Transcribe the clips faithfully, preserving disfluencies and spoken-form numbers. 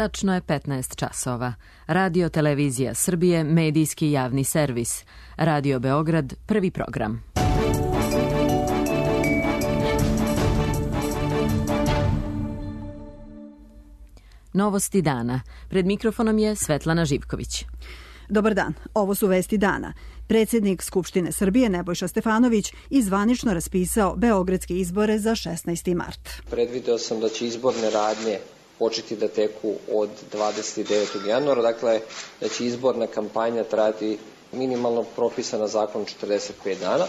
Tačno je petnaest časova. Radio Televizija Srbije, medijski javni servis. Radio Beograd, prvi program. Novosti dana. Pred mikrofonom je Svetlana Živković. Dobar dan, ovo su vesti dana. Predsjednik Skupštine Srbije Nebojša Stefanović i zvanično raspisao beogradske izbore za šesnaesti mart. Predvideo sam da će izborne radnje početi da teku od dvadeset devetog januara, dakle da će izborna kampanja trajati minimalno propisana zakonom četrdeset pet dana.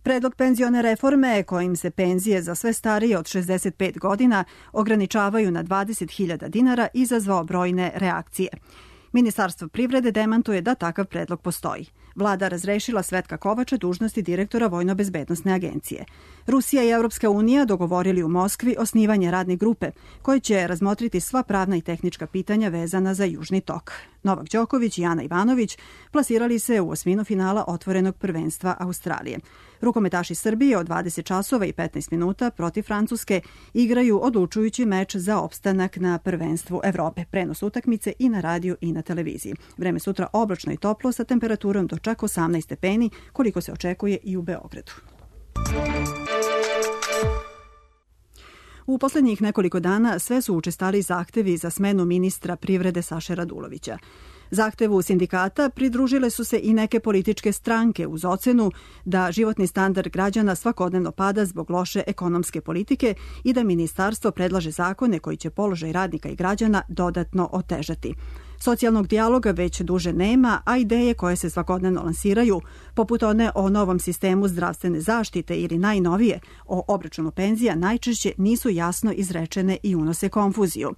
Predlog penzione reforme kojim se penzije za sve starije od šezdeset pet godina ograničavaju na dvadeset hiljada dinara izazvao brojne reakcije. Ministarstvo privrede demantuje da takav predlog postoji. Vlada razrešila Svetka Kovača dužnosti direktora Vojno-bezbednosne agencije. Rusija i Evropska unija dogovorili u Moskvi osnivanje radne grupe koje će razmotriti sva pravna i tehnička pitanja vezana za Južni tok. Novak Đoković i Ana Ivanović plasirali se u osminu finala otvorenog prvenstva Australije. Rukometaši Srbije od dvadeset časova i petnaest minuta protiv Francuske igraju odlučujući meč za opstanak na prvenstvu Evrope. Prenos utakmice i na radiju i na televiziji. Vreme sutra oblačno i toplo sa temperaturom do čak osamnaest stepeni, koliko se očekuje i u Beogradu. U poslednjih nekoliko dana sve su učestali zahtevi za smenu ministra privrede Saše Radulovića. Zahtevu sindikata pridružile su se i neke političke stranke uz ocenu da životni standard građana svakodnevno pada zbog loše ekonomske politike i da ministarstvo predlaže zakone koji će položaj radnika i građana dodatno otežati. Socijalnog dijaloga već duže nema, a ideje koje se svakodnevno lansiraju, poput one o novom sistemu zdravstvene zaštite ili najnovije o obračunu penzija, najčešće nisu jasno izrečene i unose konfuziju.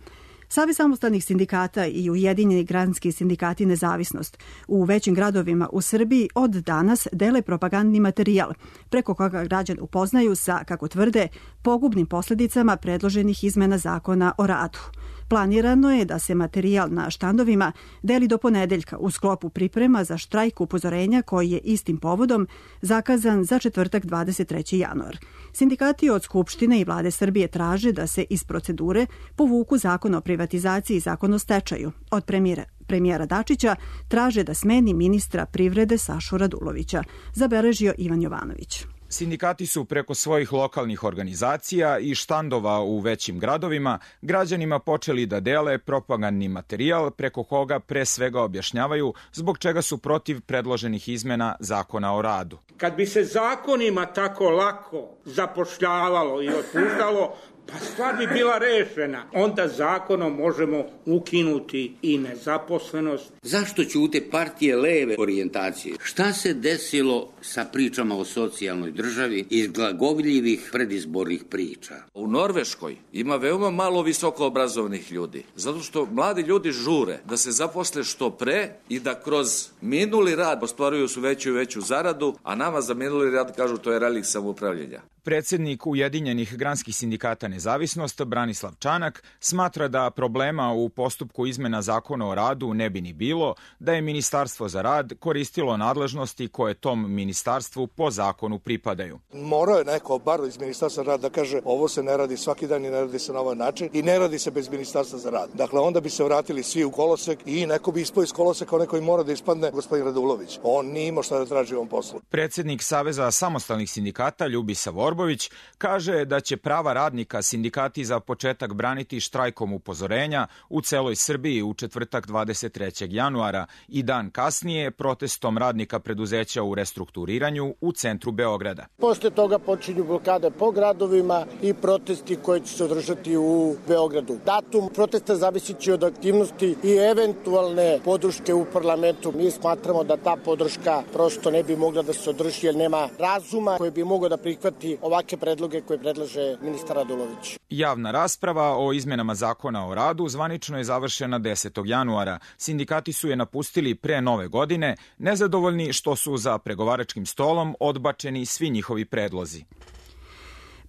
Savez samostalnih sindikata i Ujedinjeni granski sindikati Nezavisnost u većim gradovima u Srbiji od danas dele propagandni materijal, preko koga građani upoznaju sa, kako tvrde, pogubnim posljedicama predloženih izmena zakona o radu. Planirano je da se materijal na štandovima deli do ponedeljka u sklopu priprema za štrajk upozorenja koji je istim povodom zakazan za četvrtak dvadeset trećeg januara. Sindikati od Skupštine i Vlade Srbije traže da se iz procedure povuku zakon o privatizaciji i zakon o stečaju. Od premijera, premijera Dačića traže da smeni ministra privrede Sašu Radulovića, zabeležio Ivan Jovanović. Sindikati su preko svojih lokalnih organizacija i štandova u većim gradovima građanima počeli da dele propagandni materijal preko koga pre svega objašnjavaju zbog čega su protiv predloženih izmena zakona o radu. Kad bi se zakonima tako lako zapošljavalo i otpuštalo, pa stvar bi bila rešena. Onda zakonom možemo ukinuti i nezaposlenost. Zašto ćute partije leve orijentacije? Šta se desilo sa pričama o socijalnoj državi iz glagoljivih predizbornih priča? U Norveškoj ima veoma malo visoko obrazovnih ljudi, zato što mladi ljudi žure da se zaposle što pre i da kroz minuli rad ostvaruju su veću i veću zaradu, a nama za minuli rad kažu to je relikt samoupravljenja. Predsjednik Ujedinjenih granskih sindikata Nezavisnost Branislav Čanak smatra da problema u postupku izmena zakona o radu ne bi ni bilo, da je Ministarstvo za rad koristilo nadležnosti koje tom ministarstvu po zakonu pripadaju. Morao je neko, bar iz Ministarstva za rad, da kaže ovo se ne radi svaki dan i ne radi se na ovaj način i ne radi se bez Ministarstva za rad. Dakle, onda bi se vratili svi u kolosek i neko bi ispao iz koloseka, onaj koji mora da ispadne, gospodin Radulović. On nije imao šta da traži u ovom poslu. Predsjednik Saveza samostalnih sindikata Ljubisa Vorbović kaže da će prava radnika sindikati za početak braniti štrajkom upozorenja u celoj Srbiji u četvrtak dvadeset trećeg januara i dan kasnije protestom radnika preduzeća u restrukturiranju u centru Beograda. Posle toga počinju blokade po gradovima i protesti koji će se održati u Beogradu. Datum protesta zavisit će od aktivnosti i eventualne podrške u parlamentu. Mi smatramo da ta podrška prosto ne bi mogla da se održi jer nema razuma koji bi mogao da prihvati ovakve predloge koje predlaže ministar Radulović. Javna rasprava o izmenama zakona o radu zvanično je završena desetog januara. Sindikati su je napustili pre nove godine, nezadovoljni što su za pregovaračkim stolom odbačeni svi njihovi predlozi.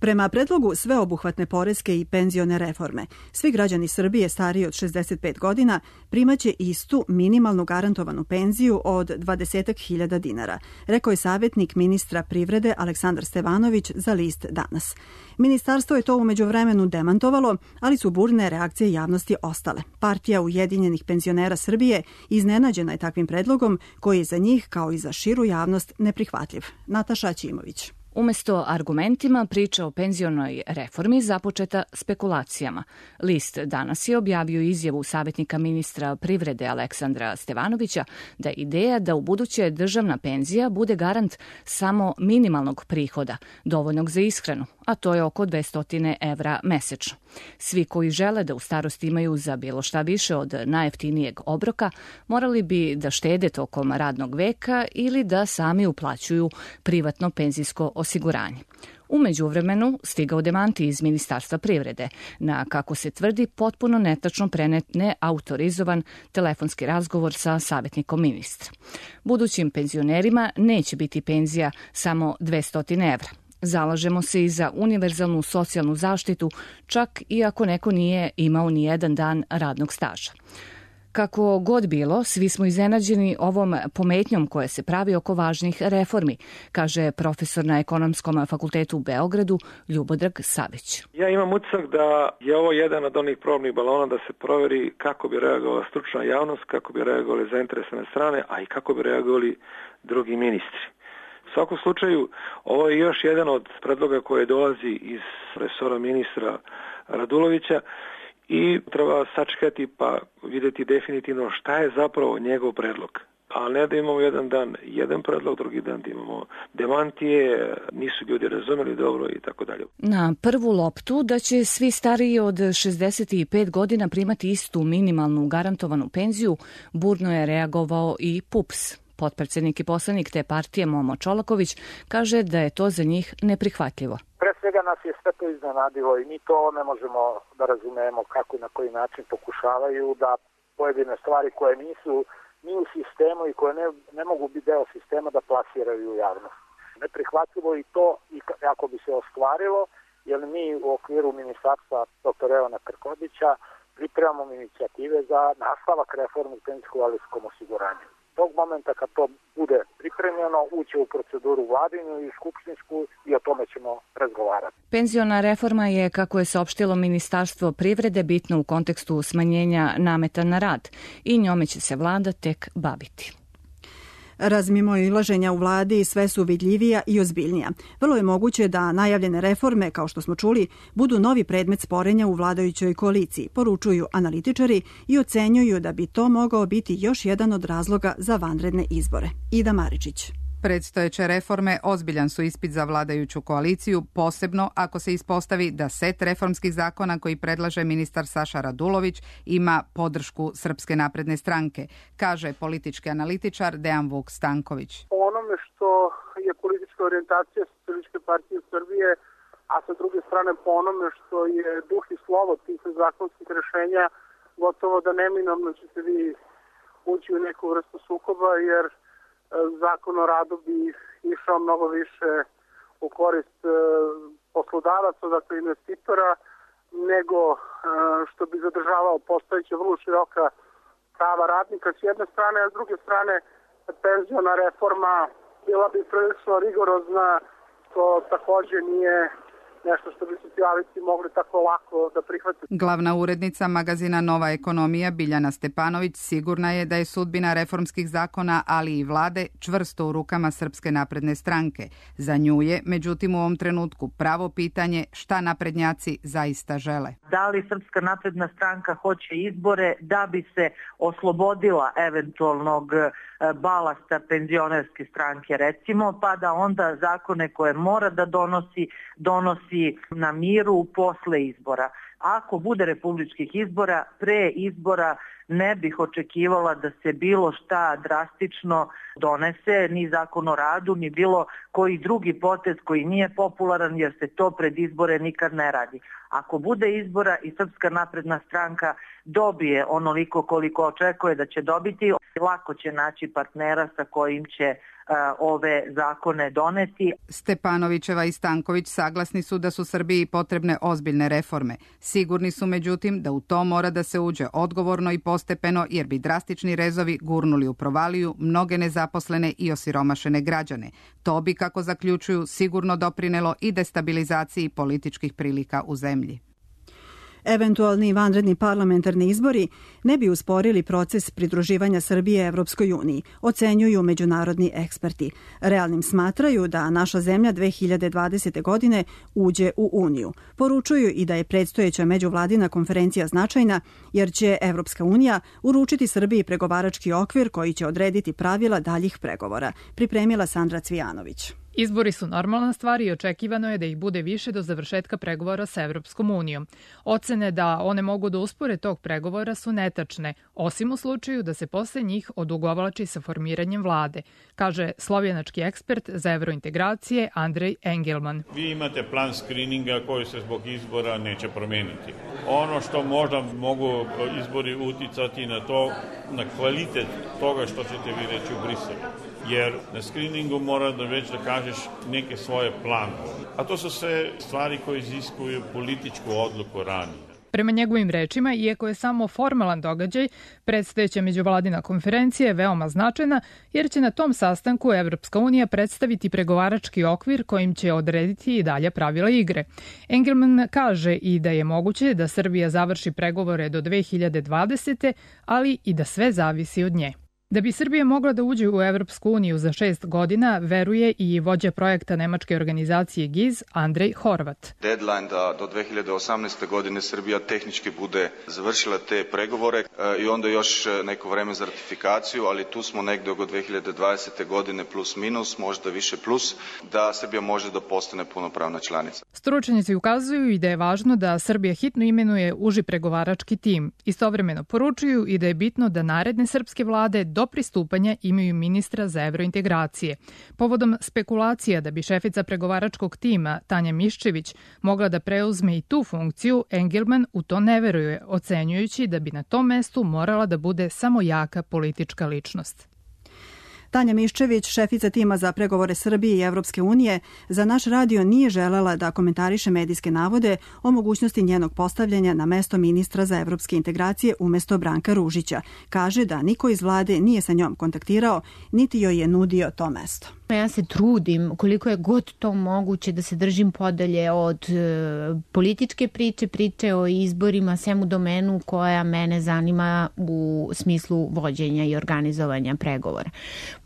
Prema predlogu sveobuhvatne poreske i penzione reforme, svi građani Srbije stariji od šezdeset pet godina primaće istu minimalnu garantovanu penziju od dvadeset hiljada dinara, rekao je savjetnik ministra privrede Aleksandar Stevanović za list Danas. Ministarstvo je to u međuvremenu demantovalo, ali su burne reakcije javnosti ostale. Partija Ujedinjenih penzionera Srbije iznenađena je takvim predlogom koji je za njih, kao i za širu javnost, neprihvatljiv. Nataša Ćimović. Umesto argumentima, priča o penzionoj reformi započeta spekulacijama. List Danas je objavio izjavu savjetnika ministra privrede Aleksandra Stevanovića da je ideja da u buduće državna penzija bude garant samo minimalnog prihoda, dovoljnog za ishranu, a to je oko dvesta evra mesečno. Svi koji žele da u starosti imaju za bilo šta više od najjeftinijeg obroka, morali bi da štede tokom radnog veka ili da sami uplaćuju privatno penzijsko osiguranje. U međuvremenu stigao demanti iz Ministarstva privrede na, kako se tvrdi, potpuno netačno prenet neautorizovan telefonski razgovor sa savjetnikom ministra. Budućim penzionerima neće biti penzija samo dvesta evra. Zalažemo se i za univerzalnu socijalnu zaštitu, čak i ako neko nije imao ni jedan dan radnog staža. Kako god bilo, svi smo iznenađeni ovom pometnjom koja se pravi oko važnih reformi, kaže profesor na Ekonomskom fakultetu u Beogradu Ljubodrag Savić. Ja imam utisak da je ovo jedan od onih probnih balona da se proveri kako bi reagovala stručna javnost, kako bi reagovali zainteresovane strane, a i kako bi reagovali drugi ministri. U svakom slučaju, ovo je još jedan od predloga koje dolazi iz resora ministra Radulovića i treba sačekati pa vidjeti definitivno šta je zapravo njegov predlog. A ne da imamo jedan dan jedan predlog, drugi dan da imamo demantije, nisu ljudi razumeli dobro i tako dalje. Na prvu loptu da će svi stariji od šezdeset pet godina primati istu minimalnu garantovanu penziju, burno je reagovao i P U P S. Potpredsjednik i poslanik te partije Momo Čolaković kaže da je to za njih neprihvatljivo. Pre svega nas je sve to iznenadilo i mi to ne možemo da razumemo kako i na koji način pokušavaju da pojedine stvari koje nisu ni u sistemu i koje ne, ne mogu biti deo sistema da plasiraju u javnost. Neprihvatljivo i to i ako bi se ostvarilo, jer mi u okviru ministarstva doktora Evana Krkobića pripremamo inicijative za nastavak reforme u penzijsko-invalidskom osiguranju. Tog momenta kad to bude pripremljeno, uće u proceduru vladinu i skupštinsku i o tome ćemo razgovarati. Penziona reforma je, kako je saopštilo Ministarstvo privrede, bitna u kontekstu smanjenja nameta na rad i njome će se vlada tek baviti. Razmimoilaženja u vladi sve su vidljivija i ozbiljnija. Vrlo je moguće da najavljene reforme, kao što smo čuli, budu novi predmet sporenja u vladajućoj koaliciji, poručuju analitičari i ocenjuju da bi to mogao biti još jedan od razloga za vanredne izbore. Ida Maričić. Predstojeće reforme ozbiljan su ispit za vladajuću koaliciju, posebno ako se ispostavi da set reformskih zakona koji predlaže ministar Saša Radulović ima podršku Srpske napredne stranke, kaže politički analitičar Dejan Vuk Stanković. Po onome što je politička orijentacija Socijalističke partije Srbije, a sa druge strane po onome što je duh i slovo tih zakonskih rešenja, gotovo da neminovno ćete vi ući u neku vrstu sukoba, jer Zakon o radu bi išao mnogo više u korist poslodavaca, dakle investitora, nego što bi zadržavao postojeća vrlo široka prava radnika s jedne strane, a s druge strane penziona reforma bila bi prilično rigorozna, što takođe nije nešto što bi socijalisti mogli tako lako da prihvate. Glavna urednica magazina Nova ekonomija Biljana Stepanović sigurna je da je sudbina reformskih zakona, ali i vlade, čvrsto u rukama Srpske napredne stranke. Za nju je, međutim, u ovom trenutku pravo pitanje šta naprednjaci zaista žele. Da li Srpska napredna stranka hoće izbore da bi se oslobodila eventualnog balasta penzionerske stranke, recimo, pa da onda zakone koje mora da donosi, donosi na miru posle izbora. Ako bude republičkih izbora, pre izbora ne bih očekivala da se bilo šta drastično donese, ni zakon o radu, ni bilo koji drugi potez koji nije popularan, jer se to pred izbore nikad ne radi. Ako bude izbora i Srpska napredna stranka dobije onoliko koliko očekuje da će dobiti, lako će naći partnera sa kojim će ove zakone doneti. Stepanovićeva i Stanković saglasni su da su Srbiji potrebne ozbiljne reforme. Sigurni su međutim da u to mora da se uđe odgovorno i postepeno, jer bi drastični rezovi gurnuli u provaliju mnoge nezaposlene i osiromašene građane. To bi, kako zaključuju, sigurno doprinelo i destabilizaciji političkih prilika u zemlji. Eventualni vanredni parlamentarni izbori ne bi usporili proces pridruživanja Srbije Evropskoj uniji, ocenjuju međunarodni eksperti. Realnim smatraju da naša zemlja dve hiljade dvadesete. godine uđe u Uniju. Poručuju i da je predstojeća međuvladina konferencija značajna, jer će Evropska unija uručiti Srbiji pregovarački okvir koji će odrediti pravila daljih pregovora, pripremila Sandra Cvijanović. Izbori su normalna stvar i očekivano je da ih bude više do završetka pregovora sa Evropskom unijom. Ocene da one mogu da uspore tog pregovora su netačne, osim u slučaju da se posle njih odugovlači sa formiranjem vlade, kaže slovjenački ekspert za evrointegracije Andrej Engelman. Vi imate plan skrininga koji se zbog izbora neće promeniti. Ono što možda mogu izbori uticati na to, na kvalitet toga što ćete vi reći u Briselu. Jer na skriningu mora da već da kažeš neke svoje planove. A to su sve stvari koje iziskuju političku odluku ranije. Prema njegovim rečima, iako je samo formalan događaj, predstojeća međuvladina konferencija je veoma značajna, jer će na tom sastanku Evropska unija predstaviti pregovarački okvir kojim će odrediti i dalje pravila igre. Engelman kaže i da je moguće da Srbija završi pregovore do dve hiljade dvadesete. ali i da sve zavisi od nje. Da bi Srbija mogla da uđe u Evropsku uniju za šest godina, veruje i vođa projekta nemačke organizacije G I Z, Andrej Horvat. Deadline da do dve hiljade osamnaeste. godine Srbija tehnički bude završila te pregovore i onda još neko vreme za ratifikaciju, ali tu smo negde oko dve hiljade dvadesete. godine plus minus, možda više plus, da Srbija može da postane punopravna članica. Stručnjaci ukazuju i da je važno da Srbija hitno imenuje uži pregovarački tim. Istovremeno poručuju i da je bitno da naredne srpske vlade do pristupanja imaju ministra za evrointegracije. Povodom spekulacija da bi šefica pregovaračkog tima Tanja Miščević mogla da preuzme i tu funkciju, Engelman u to ne veruje, ocenjujući da bi na tom mestu morala da bude samo jaka politička ličnost. Tanja Miščević, šefica tima za pregovore Srbije i Evropske unije, za naš radio nije želela da komentariše medijske navode o mogućnosti njenog postavljanja na mesto ministra za evropske integracije umesto Branka Ružića. Kaže da niko iz vlade nije sa njom kontaktirao, niti joj je nudio to mesto. Ja se trudim koliko je god to moguće da se držim podalje od e, političke priče, priče o izborima, svemu domenu koja mene zanima u smislu vođenja i organizovanja pregovora.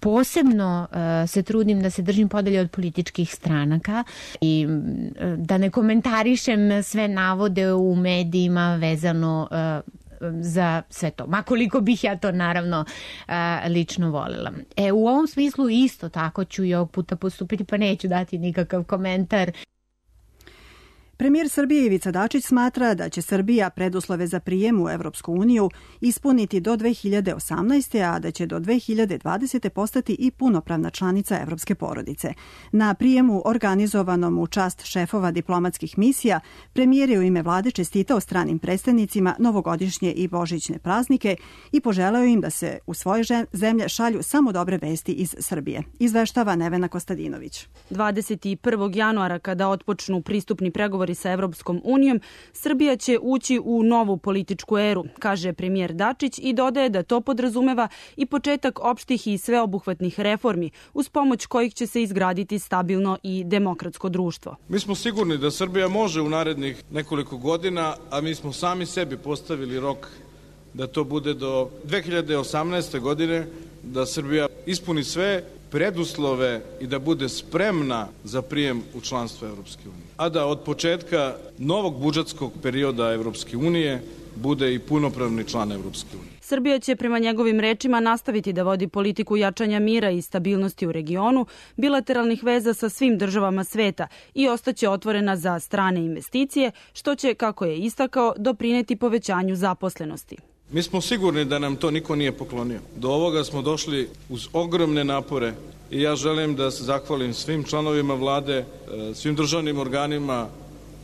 Posebno e, se trudim da se držim podalje od političkih stranaka i e, da ne komentarišem sve navode u medijima vezano e, za sve to. Ma koliko bih ja to naravno lično voljela. E, u ovom smislu isto tako ću i ovog puta postupiti, pa neću dati nikakav komentar. Premijer Srbije Ivica Dačić smatra da će Srbija preduslove za prijem u Evropsku uniju ispuniti do dve hiljade osamnaeste. a da će do dve hiljade dvadesete. postati i punopravna članica evropske porodice. Na prijemu organizovanom u čast šefova diplomatskih misija, premijer je u ime vlade čestitao stranim predstavnicima novogodišnje i božićne praznike i poželeo im da se u svoje zemlje šalju samo dobre vesti iz Srbije. Izveštava Nevena Kostadinović. dvadeset prvog januara, kada otpočnu pristupni pregovori sa Evropskom unijom, Srbija će ući u novu političku eru, kaže premijer Dačić i dodaje da to podrazumeva i početak opštih i sveobuhvatnih reformi, uz pomoć kojih će se izgraditi stabilno i demokratsko društvo. Mi smo sigurni da Srbija može u narednih nekoliko godina, a mi smo sami sebi postavili rok da to bude do dve hiljade osamnaeste. godine, da Srbija ispuni sve preduslove i da bude spremna za prijem u članstvo Evropske unije. A da od početka novog budžetskog perioda Evropske unije bude i punopravni član Evropske unije. Srbija će prema njegovim rečima nastaviti da vodi politiku jačanja mira i stabilnosti u regionu, bilateralnih veza sa svim državama sveta i ostaće otvorena za strane investicije, što će, kako je istakao, doprineti povećanju zaposlenosti. Mi smo sigurni da nam to niko nije poklonio. Do ovoga smo došli uz ogromne napore i ja želim da se zahvalim svim članovima vlade, svim državnim organima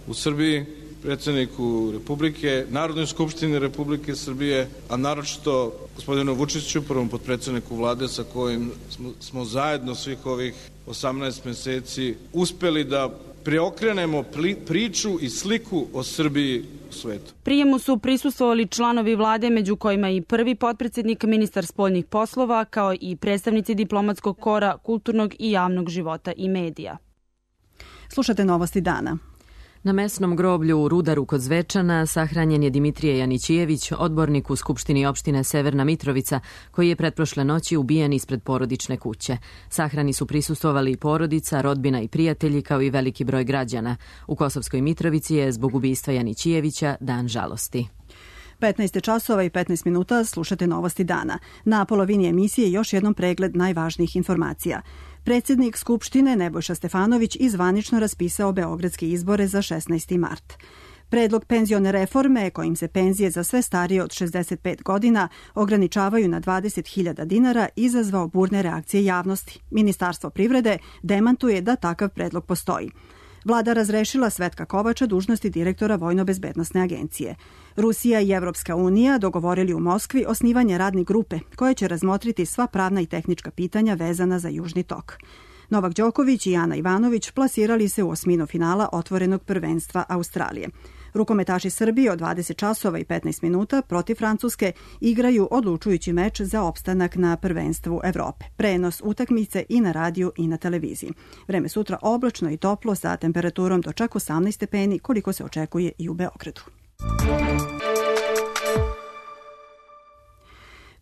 u Srbiji predsjedniku Republike, Narodnoj skupštini Republike Srbije, a naročito gospodinu Vučiću, prvom potpredsjedniku vlade sa kojim smo, smo zajedno svih ovih osamnaest meseci uspeli da preokrenemo priču i sliku o Srbiji u svetu. Prijemu su prisustvovali članovi vlade, među kojima i prvi potpredsjednik, ministar spoljnih poslova, kao i predstavnici diplomatskog kora, kulturnog i javnog života i medija. Slušate novosti dana. Na mesnom groblju u Rudaru kod Zvečana sahranjen je Dimitrije Janićijević, odbornik u Skupštini opštine Severna Mitrovica, koji je pretprošle noći ubijen ispred porodične kuće. Sahrani su prisustvovali porodica, rodbina i prijatelji, kao i veliki broj građana. U Kosovskoj Mitrovici je zbog ubistva Janićijevića dan žalosti. petnaest časova i petnaest minuta, slušate novosti dana. Na polovini emisije još jednom pregled najvažnijih informacija. Predsjednik Skupštine Nebojša Stefanović izvanično raspisao beogradske izbore za šesnaesti mart. Predlog penzione reforme, kojim se penzije za sve starije od šezdeset pet godina ograničavaju na dvadeset hiljada dinara, izazvao burne reakcije javnosti. Ministarstvo privrede demantuje da takav predlog postoji. Vlada razrešila Svetka Kovača dužnosti direktora Vojno-bezbednosne agencije. Rusija i Evropska unija dogovorili u Moskvi osnivanje radne grupe koja će razmotriti sva pravna i tehnička pitanja vezana za Južni tok. Novak Đoković i Ana Ivanović plasirali se u osminu finala otvorenog prvenstva Australije. Rukometaši Srbije od dvadeset časova i petnaest minuta protiv Francuske igraju odlučujući meč za opstanak na prvenstvu Evrope. Prenos utakmice i na radiju i na televiziji. Vreme sutra oblačno i toplo sa temperaturom do čak osamnaest stepeni, koliko se očekuje i u Beogradu.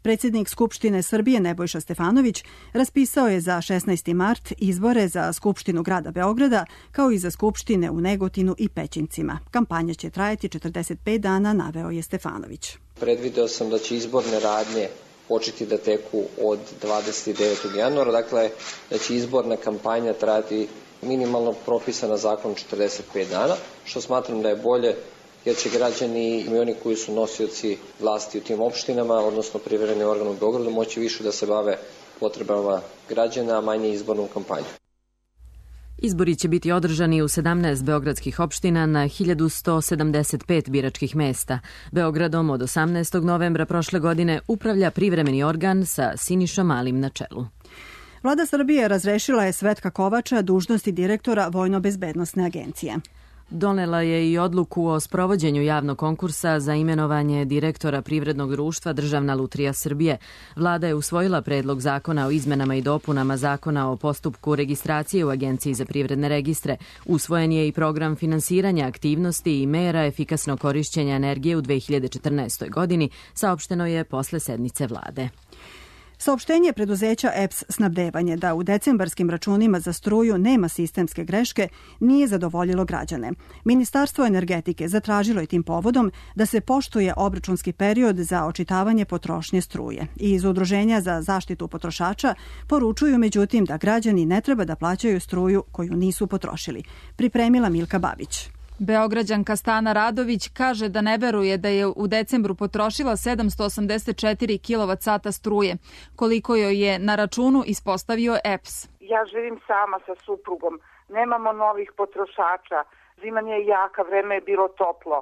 Predsjednik Skupštine Srbije Nebojša Stefanović raspisao je za šesnaesti mart izbore za Skupštinu grada Beograda, kao i za Skupštine u Negotinu i Pećincima. Kampanja će trajati četrdeset pet dana, naveo je Stefanović. Predvideo sam da će izborne radnje početi da teku od dvadeset devetog januara, dakle da će izborna kampanja trajati minimalno propisana zakon četrdeset pet dana, što smatram da je bolje, jer će građani i oni koji su nosioci vlasti u tim opštinama, odnosno privremeni organ u Beogradu, moći više da se bave potrebama građana, a manje izbornom kampanjom. Izbori će biti održani u sedamnaest beogradskih opština na hiljadu sto sedamdeset pet biračkih mesta. Beogradom od osamnaestog novembra prošle godine upravlja privremeni organ sa Sinišom Malim na čelu. Vlada Srbije razrešila je Svetka Kovača dužnosti direktora Vojno-bezbednosne agencije. Donela je i odluku o sprovođenju javnog konkursa za imenovanje direktora privrednog društva Državna lutrija Srbije. Vlada je usvojila predlog zakona o izmenama i dopunama zakona o postupku registracije u Agenciji za privredne registre. Usvojen je i program finansiranja aktivnosti i mera efikasnog korišćenja energije u dve hiljade četrnaestoj godini, saopšteno je posle sednice vlade. Saopštenje preduzeća E P S snabdevanje da u decembarskim računima za struju nema sistemske greške nije zadovoljilo građane. Ministarstvo energetike zatražilo je tim povodom da se poštuje obračunski period za očitavanje potrošnje struje. I iz Udruženja za zaštitu potrošača poručuju međutim da građani ne treba da plaćaju struju koju nisu potrošili. Pripremila Milka Babić. Beograđanka Stana Radović kaže da ne veruje da je u decembru potrošila sedamsto osamdeset četiri kilovat sata struje, koliko joj je na računu ispostavio E P S. Ja živim sama sa suprugom, nemamo novih potrošača, zima nije jaka, vreme je bilo toplo.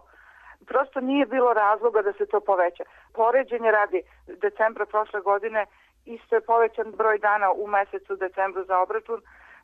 Prosto nije bilo razloga da se to poveća. Poređenje radi decembra prošle godine, isto je povećan broj dana u mesecu decembru za obračun,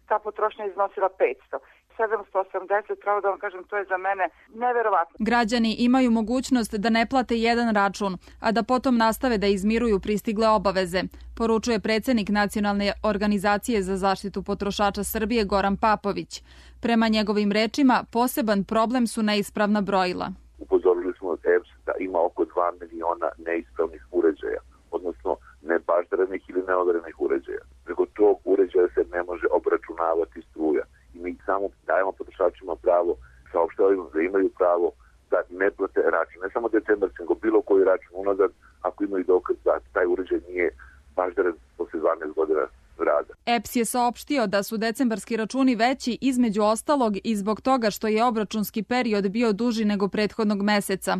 ta potrošnja iznosila petsto. sedamsto osamdeset, pravo da vam kažem, to je za mene neverovatno. Građani imaju mogućnost da ne plate jedan račun, a da potom nastave da izmiruju pristigle obaveze, poručuje predsjednik Nacionalne organizacije za zaštitu potrošača Srbije Goran Papović. Prema njegovim rečima, poseban problem su neispravna brojila. Upozorili smo od E P S da ima oko dva miliona neispravnih uređaja, odnosno nebaždarenih ili neodarenih uređaja. Preko tog uređaja se ne može obračunavati struja. I mi samo dajemo potrošačima pravo, saopštavamo da imaju pravo da ne plate račun. Ne samo decembarski, nego bilo koji račun unazad, ako imaju dokaz da taj uređaj nije baždaren posle dvanaest godina rada. E P S je saopštio da su decembarski računi veći između ostalog i zbog toga što je obračunski period bio duži nego prethodnog meseca.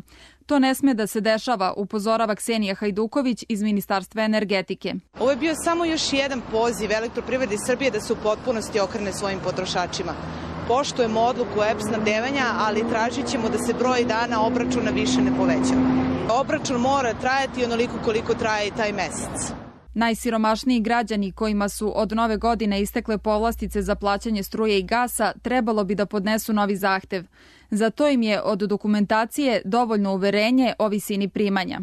To ne sme da se dešava, upozorava Ksenija Hajduković iz Ministarstva energetike. Ovo je bio samo još jedan poziv Elektroprivredi Srbije da se u potpunosti okrene svojim potrošačima. poštujemo odluku E P snabdevanja, ali tražit ćemo da se broj dana obračuna više ne povećava. Obračun mora trajati onoliko koliko traje i taj mesec. Najsiromašniji građani kojima su od nove godine istekle povlastice za plaćanje struje i gasa trebalo bi da podnesu novi zahtev. Za to im je od dokumentacije dovoljno uverenje o visini primanja.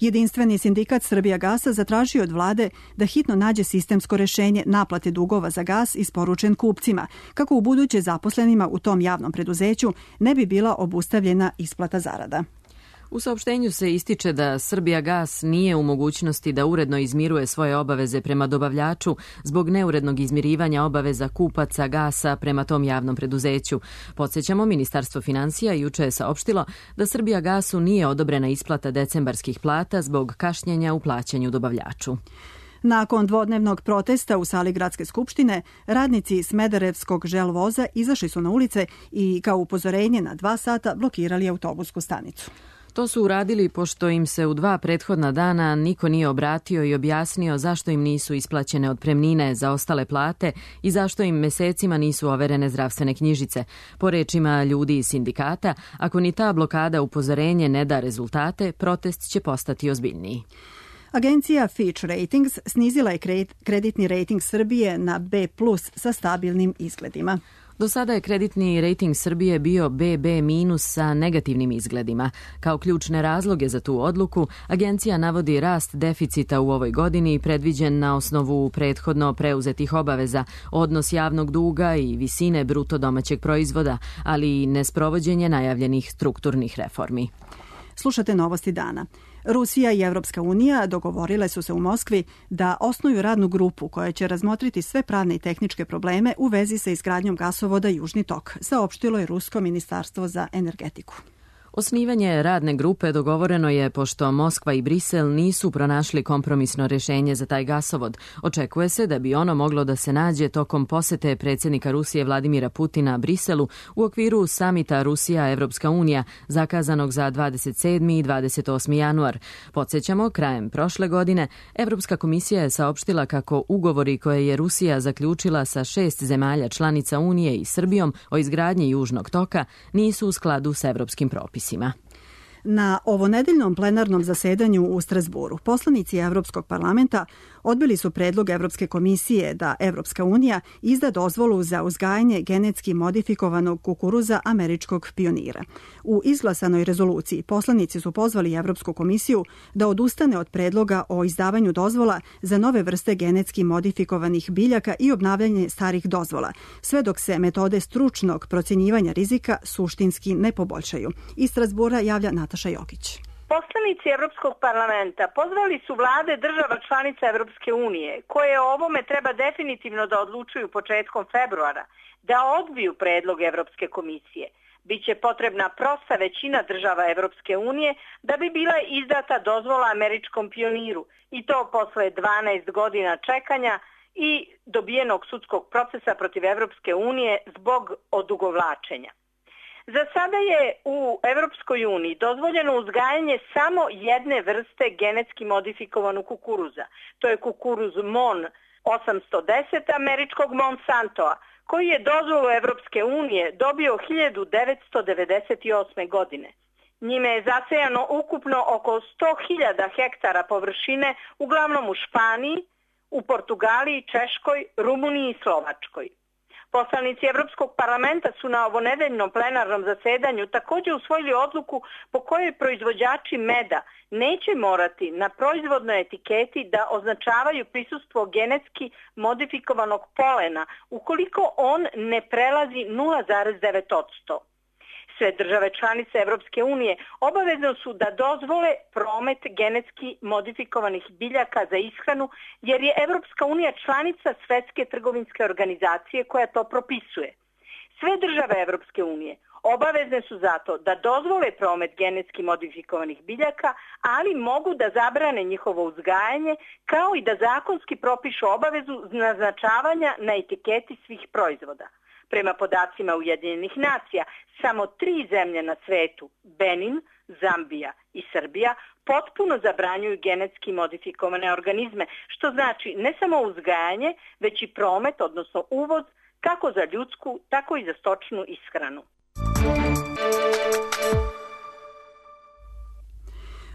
Jedinstveni sindikat Srbijagasa zatražio od vlade da hitno nađe sistemsko rešenje naplate dugova za gas isporučen kupcima, kako u buduće zaposlenima u tom javnom preduzeću ne bi bila obustavljena isplata zarada. U saopštenju se ističe da Srbijagas nije u mogućnosti da uredno izmiruje svoje obaveze prema dobavljaču zbog neurednog izmirivanja obaveza kupaca gasa prema tom javnom preduzeću. Podsjećamo, Ministarstvo finansija juče je saopštilo da Srbijagasu nije odobrena isplata decembarskih plata zbog kašnjenja u plaćanju dobavljaču. Nakon dvodnevnog protesta u sali Gradske skupštine, radnici Smederevskog želvoza izašli su na ulice i kao upozorenje na dva sata blokirali autobusku stanicu. To su uradili pošto im se u dva prethodna dana niko nije obratio i objasnio zašto im nisu isplaćene otpremnine za ostale plate i zašto im mesecima nisu overene zdravstvene knjižice. Po rečima ljudi iz sindikata, ako ni ta blokada upozorenje ne da rezultate, protest će postati ozbiljniji. Agencija Fitch Ratings snizila je kreditni rating Srbije na B plus sa stabilnim izgledima. Do sada je kreditni rating Srbije bio be be minus sa negativnim izgledima. Kao ključne razloge za tu odluku, agencija navodi rast deficita u ovoj godini predviđen na osnovu prethodno preuzetih obaveza, odnos javnog duga i visine bruto domaćeg proizvoda, ali i nesprovođenje najavljenih strukturnih reformi. Slušate Novosti dana. Rusija i Evropska unija dogovorile su se u Moskvi da osnuju radnu grupu koja će razmotriti sve pravne i tehničke probleme u vezi sa izgradnjom gasovoda Južni tok, saopštilo je Rusko ministarstvo za energetiku. Osnivanje radne grupe dogovoreno je pošto Moskva i Brisel nisu pronašli kompromisno rešenje za taj gasovod. Očekuje se da bi ono moglo da se nađe tokom posete predsjednika Rusije Vladimira Putina Briselu u okviru samita Rusija-Evropska unija zakazanog za dvadeset sedmi i dvadeset osmi januar. Podsjećamo, krajem prošle godine Evropska komisija je saopštila kako ugovori koje je Rusija zaključila sa šest zemalja članica Unije i Srbijom o izgradnji Južnog toka nisu u skladu s evropskim propisima. Na ovonedeljnom plenarnom zasedanju u Strasburu poslanici Evropskog parlamenta odbili su predlog Evropske komisije da Evropska unija izda dozvolu za uzgajanje genetski modifikovanog kukuruza američkog pionira. U izglasanoj rezoluciji poslanici su pozvali Evropsku komisiju da odustane od predloga o izdavanju dozvola za nove vrste genetski modifikovanih biljaka i obnavljanje starih dozvola, sve dok se metode stručnog procjenjivanja rizika suštinski ne poboljšaju. Iz Strasbura javlja Nataša Jokić. Poslanici Evropskog parlamenta pozvali su vlade država članica Evropske unije, koje o ovome treba definitivno da odlučuju početkom februara, da odbiju predlog Evropske komisije. Biće potrebna prosta većina država Evropske unije da bi bila izdata dozvola američkom pioniru, i to posle dvanaest godina čekanja i dobijenog sudskog procesa protiv Evropske unije zbog odugovlačenja. Za sada je u Evropskoj uniji dozvoljeno uzgajanje samo jedne vrste genetski modifikovanog kukuruza. To je kukuruz MON osamsto deset američkog Monsantoa, koji je dozvolu Evropske unije dobio hiljadu devetsto devedeset osme. godine. Njime je zasejano ukupno oko sto hiljada hektara površine, uglavnom u Španiji, u Portugaliji, Češkoj, Rumuniji i Slovačkoj. Poslanici Evropskog parlamenta su na ovonedeljnom plenarnom zasedanju također usvojili odluku po kojoj proizvođači meda neće morati na proizvodnoj etiketi da označavaju prisustvo genetski modifikovanog polena ukoliko on ne prelazi nula zarez devet posto. Sve države članice Evropske unije obavezno su da dozvole promet genetski modifikovanih biljaka za ishranu, jer je Evropska unija članica Svetske trgovinske organizacije koja to propisuje. Sve države Evropske unije obavezne su zato da dozvole promet genetski modifikovanih biljaka, ali mogu da zabrane njihovo uzgajanje, kao i da zakonski propišu obavezu naznačavanja na etiketi svih proizvoda. Prema podacima Ujedinjenih nacija, samo tri zemlje na svetu, Benin, Zambija i Srbija, potpuno zabranjuju genetski modifikovane organizme, što znači ne samo uzgajanje, već i promet, odnosno uvoz kako za ljudsku, tako i za stočnu ishranu.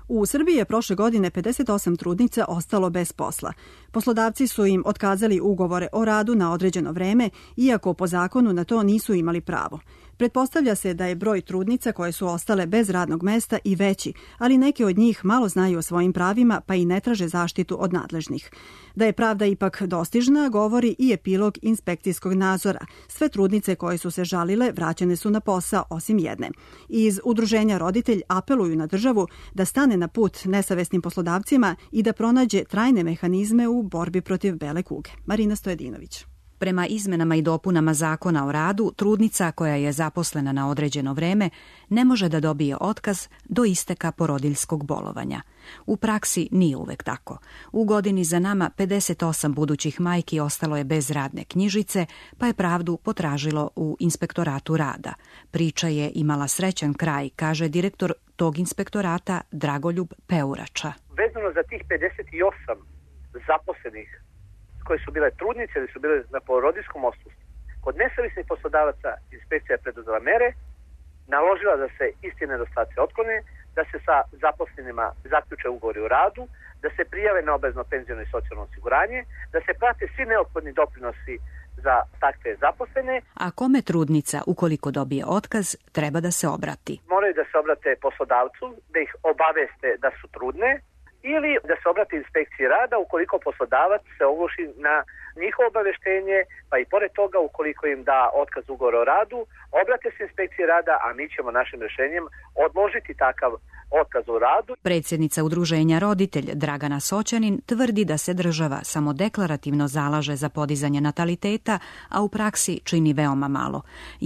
U Srbiji je prošle godine pedeset osam trudnica ostalo bez posla. Poslodavci su im otkazali ugovore o radu na određeno vreme, iako po zakonu na to nisu imali pravo. Pretpostavlja se da je broj trudnica koje su ostale bez radnog mesta i veći, ali neke od njih malo znaju o svojim pravima pa i ne traže zaštitu od nadležnih. Da je pravda ipak dostižna, govori i epilog inspekcijskog nadzora. Sve trudnice koje su se žalile vraćene su na posao, osim jedne. Iz Udruženja Roditelj apeluju na državu da stane na put nesavesnim poslodavcima i da pronađe trajne mehanizme u borbi protiv bele kuge. Marina Stojedinović. Prema izmenama i dopunama Zakona o radu, trudnica koja je zaposlena na određeno vreme ne može da dobije otkaz do isteka porodiljskog bolovanja. U praksi nije uvek tako. U godini za nama pedeset osam budućih majki ostalo je bez radne knjižice, pa je pravdu potražilo u Inspektoratu rada. Priča je imala srećan kraj, kaže direktor tog inspektorata Dragoljub Peurača. Vezano za tih pedeset osam zaposlenih koje su bile trudnice ili su bile na porodiljskom odsustvu, kod nesavesnih poslodavaca inspekcija je preduzela mere, naložila da se isti nedostaci otklone, da se sa zaposlenima zaključe ugovori o radu, da se prijave na obavezno penziono i socijalno osiguranje, da se prate svi neophodni doprinosi za takve zaposlene. A kome trudnica, ukoliko dobije otkaz, treba da se obrati? Moraju da se obrate poslodavcu, da ih obaveste da su trudne, ili da se obrati inspekciji rada ukoliko poslodavac se ogluši na njihovo obaveštenje, pa i pored toga ukoliko im da otkaz ugovora o radu, obrate se inspekciji rada, a mi ćemo našim rešenjem odložiti takav otkaz o radu. Predsjednica Udruženja Roditelj Dragana Soćanin tvrdi da se država samo deklarativno zalaže za podizanje nataliteta, a u praksi čini veoma malo.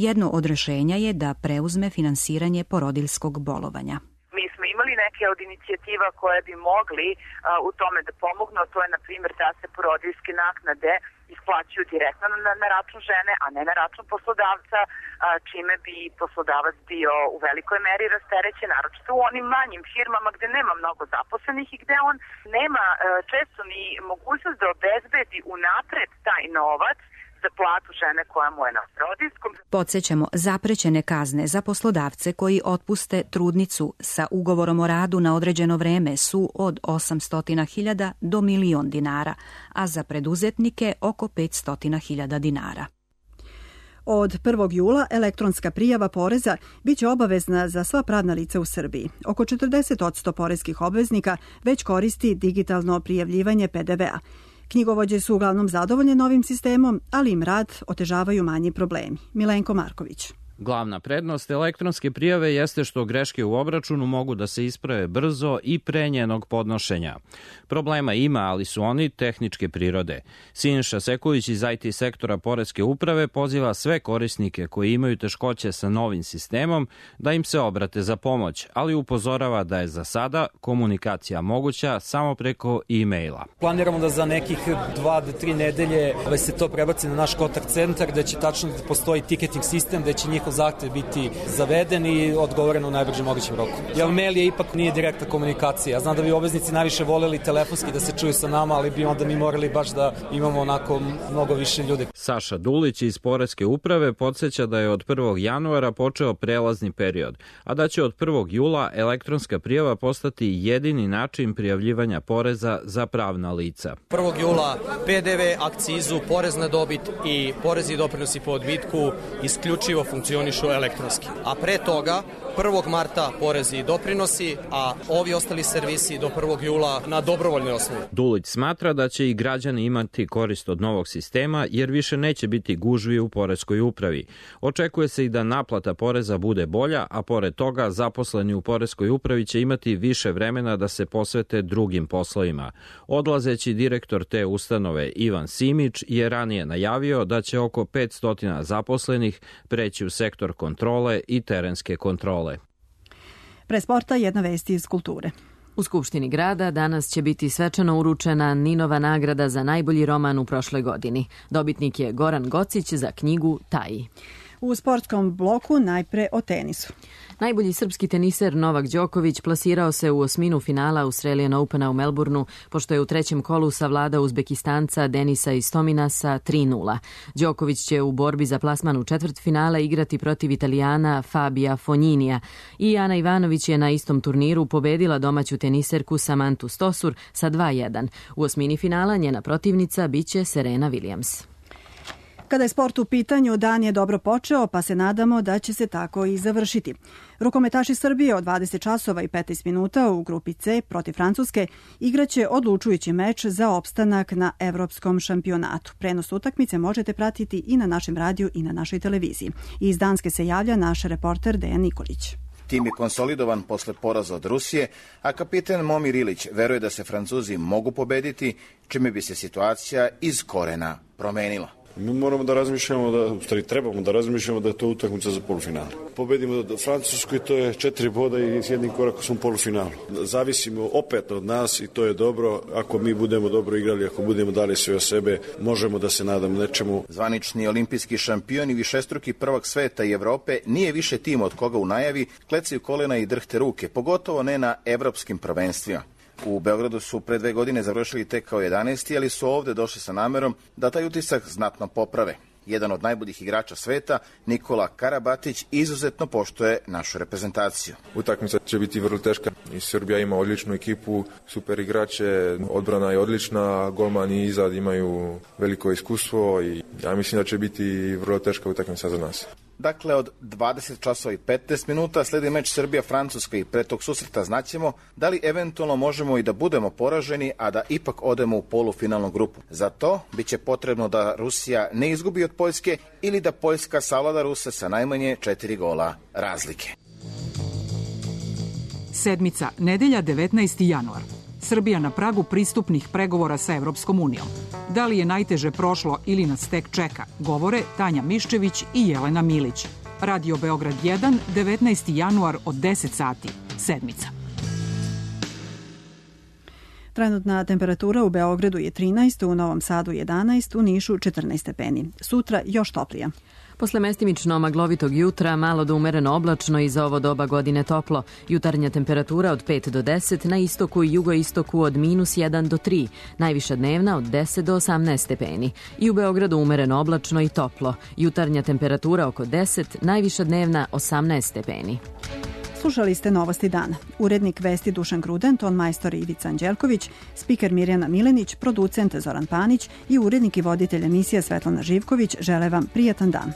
Jedno od rešenja je da preuzme finansiranje porodiljskog bolovanja. Mi smo imali neke od inicijativa koje bi mogli a, u tome da pomognu, to je na primjer da se porodiljske naknade isplaćuju direktno na, na račun žene, a ne na račun poslodavca, a, čime bi poslodavac bio u velikoj meri rasterećen, naročito u onim manjim firmama gde nema mnogo zaposlenih i gde on nema a, često ni mogućnost da obezbedi unapred taj novac za platu žene koja mu je na porodiljskom. Podsećamo, zaprećene kazne za poslodavce koji otpuste trudnicu sa ugovorom o radu na određeno vreme su od osamsto hiljada do milion dinara, a za preduzetnike oko petsto hiljada dinara. Od prvog jula elektronska prijava poreza biće obavezna za sva pravna lica u Srbiji. Oko četrdeset posto poreskih obveznika već koristi digitalno prijavljivanje pe de ve a. Knjigovođe su uglavnom zadovoljne novim sistemom, ali im rad otežavaju manji problemi. Milenko Marković. Glavna prednost elektronske prijave jeste što greške u obračunu mogu da se isprave brzo i pre njenog podnošenja. Problema ima, ali su oni tehničke prirode. Siniša Sekulić iz i te sektora Poreske uprave poziva sve korisnike koji imaju teškoće sa novim sistemom da im se obrate za pomoć, ali upozorava da je za sada komunikacija moguća samo preko e-maila. Planiramo da za nekih dva do tri nedelje se to prebaci na naš kontakt centar, da će tačno da postoji ticketing sistem, da će njihov zahtev biti zaveden i odgovoreno u najbržem mogućem roku. Jer mail je ipak nije direktna komunikacija. Ja znam da bi obveznici najviše voleli telefonski da se čuju sa nama, ali bi onda mi morali baš da imamo onako mnogo više ljudi. Saša Dulić iz Poreske uprave podsjeća da je od prvog januara počeo prelazni period, a da će od prvog jula elektronska prijava postati jedini način prijavljivanja poreza za pravna lica. prvog jula pe de ve, akcizu, porez na dobit i porezi i doprinosi po odbitku isključivo funkcionišu elektronski. A pre toga, prvog marta porezi i doprinosi, a ovi ostali servisi do prvog jula na dobrovoljnoj osnovi. Dulić smatra da će i građani imati korist od novog sistema, jer više neće biti gužvi u Poreskoj upravi. Očekuje se i da naplata poreza bude bolja, a pored toga zaposleni u Poreskoj upravi će imati više vremena da se posvete drugim poslovima. Odlazeći direktor te ustanove Ivan Simić je ranije najavio da će oko petsto zaposlenih preći u sektor kontrole i terenske kontrole. Pre sporta jedna vest iz kulture. U Skupštini grada danas će biti svečano uručena Ninova nagrada za najbolji roman u prošloj godini. Dobitnik je Goran Gocić za knjigu Taji. U sportskom bloku najpre o tenisu. Najbolji srpski teniser Novak Đoković plasirao se u osminu finala Australian Opena u Melbourneu, pošto je u trećem kolu savladao Uzbekistanca Denisa Istomina sa tri nula. Đoković će u borbi za plasman u četvrtfinale igrati protiv Italijana Fabija Fogninija i Ana Ivanović je na istom turniru pobedila domaću teniserku Samantu Stosur sa dva jedan. U osmini finala njena protivnica biće Serena Williams. Kada je sport u pitanju, dan je dobro počeo, pa se nadamo da će se tako i završiti. Rukometaši Srbije od dvadeset časova i petnaest minuta u grupi C protiv Francuske igraće odlučujući meč za opstanak na evropskom šampionatu. Prenos utakmice možete pratiti i na našem radiju i na našoj televiziji. Iz Danske se javlja naš reporter Dejan Nikolić. Tim je konsolidovan posle poraza od Rusije, a kapiten Momir Ilić veruje da se Francuzi mogu pobediti, čime bi se situacija iz korena promenila. Mi moramo da razmišljamo, da, u stvari trebamo da razmišljamo da je to utakmica za polufinale. Pobedimo da Francusku i to je četiri boda i s jednim korakom smo u polufinalu. Zavisimo opet od nas i to je dobro. Ako mi budemo dobro igrali, ako budemo dali sve o sebe, možemo da se nadamo nečemu. Zvanični olimpijski šampion i višestruki prvak sveta i Evrope nije više tim od koga u najavi klecaju kolena i drhte ruke, pogotovo ne na evropskim prvenstvima. U Beogradu su pre dve godine završili tek kao jedanaesti, ali su ovde došli sa namerom da taj utisak znatno poprave. Jedan od najboljih igrača sveta, Nikola Karabatić, izuzetno poštuje našu reprezentaciju. Utakmica će biti vrlo teška i Srbija ima odličnu ekipu, super igrače, odbrana je odlična, golmani izad imaju veliko iskustvo i ja mislim da će biti vrlo teška utakmica za nas. Dakle, od dvadeset časova i petnaest minuta sledi meč Srbija-Francuska i pre tog susreta znaćemo da li eventualno možemo i da budemo poraženi, a da ipak odemo u polufinalnu grupu. Za to biće potrebno da Rusija ne izgubi od Poljske ili da Poljska savlada Ruse sa najmanje četiri gola razlike. Sedmica, nedelja devetnaesti januar. Srbija na pragu pristupnih pregovora sa Evropskom unijom. Da li je najteže prošlo ili nas tek čeka, govore Tanja Miščević i Jelena Milić. Radio Beograd jedan, devetnaesti januar od deset sati. Sedmica. Trenutna temperatura u Beogradu je trinaest, u Novom Sadu jedanaest, u Nišu četrnaest stepeni. Sutra još toplija. Posle mestimično maglovitog jutra, malo do umereno oblačno i za ovo doba godine toplo. Jutarnja temperatura od pet do deset, na istoku i jugoistoku od minus jedan do tri, najviša dnevna od deset do osamnaest stepeni. I u Beogradu umereno oblačno i toplo. Jutarnja temperatura oko deset, najviša dnevna osamnaest stepeni. Slušali ste Novosti dana. Urednik vesti Dušan Gruden, ton majstor Ivica Anđelković, spiker Mirjana Milenić, producent Zoran Panić i urednik i voditelj emisije Svetlana Živković žele vam prijatan dan.